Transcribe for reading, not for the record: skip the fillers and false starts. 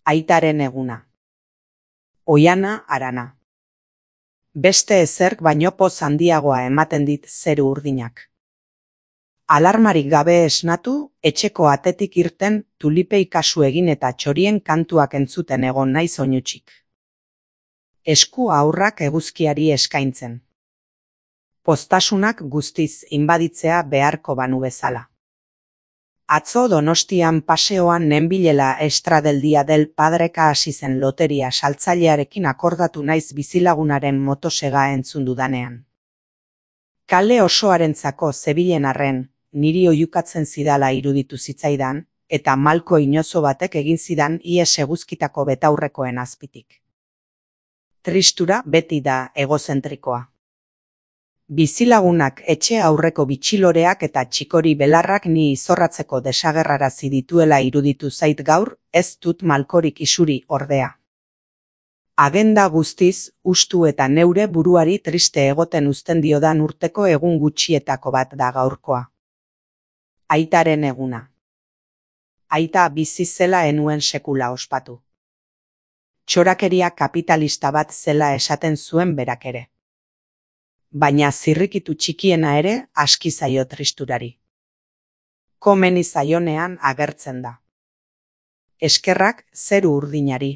Aitaren eguna. Oihana Arana. Beste ezerk baino poz handiagoa ematen dit zeru urdinak. Alarmarik gabe esnatu, etxeko atetik irten, tulipei kasu egin eta txorien kantuak entzuten egon naiz oinutsik. Esku aurrak eguzkiari eskaintzen. Poztasunak guztiz inbaditzea beharko banu bezala. Atzo Donostian paseoan nenbilela Extra del Día del Padreka hasi zen loteria saltzailearekin akordatu naiz bizilagunaren motosega entzun dudanean. Kale osoarentzako zebilen arren, niri oihukatzen zidala iruditu zitzaidan, eta malko inozo batek egin zidan ies eguzkitako betaurrekoen azpitik. Tristura beti da egozentrikoa. Bizilagunak etxe aurreko bitxiloreak eta txikori belarrak ni izorratzeko desagerrarazi dituela iruditu zait gaur, ez dut malkorik isuri ordea. Agenda guztiz, ustu eta neure buruari triste egoten uzten diodan urteko egun gutxietako bat da gaurkoa. Aitaren eguna. Aita bizi zela enuen sekula ospatu. Txorakeria kapitalista bat zela esaten zuen berak ere. Baina zirrikitu txikiena ere aski zaio tristurari. Komeni zaionean agertzen da. Eskerrak zeru urdinari.